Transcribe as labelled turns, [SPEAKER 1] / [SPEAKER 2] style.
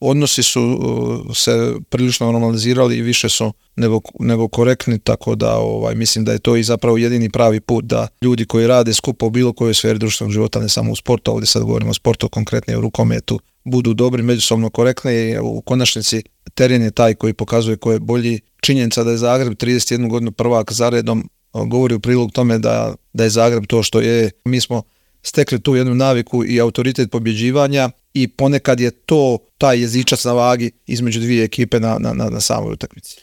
[SPEAKER 1] odnosi su se prilično normalizirali i više su nego korektni, tako da mislim da je to i zapravo jedini pravi put da ljudi koji rade skupa u bilo kojoj sferi društvenog života, ne samo u sportu, ovdje sad govorimo o sportu, konkretnije u rukometu, budu dobri, međusobno korektni i u konačnici teren je taj koji pokazuje ko je bolji. Činjenica da je Zagreb 31 godinu prvak za redom govori u prilog tome da je Zagreb to što je. Mi smo stekli tu jednu naviku i autoritet pobjeđivanja i ponekad je to taj jezičac na vagi između dvije ekipe na samoj utakmici.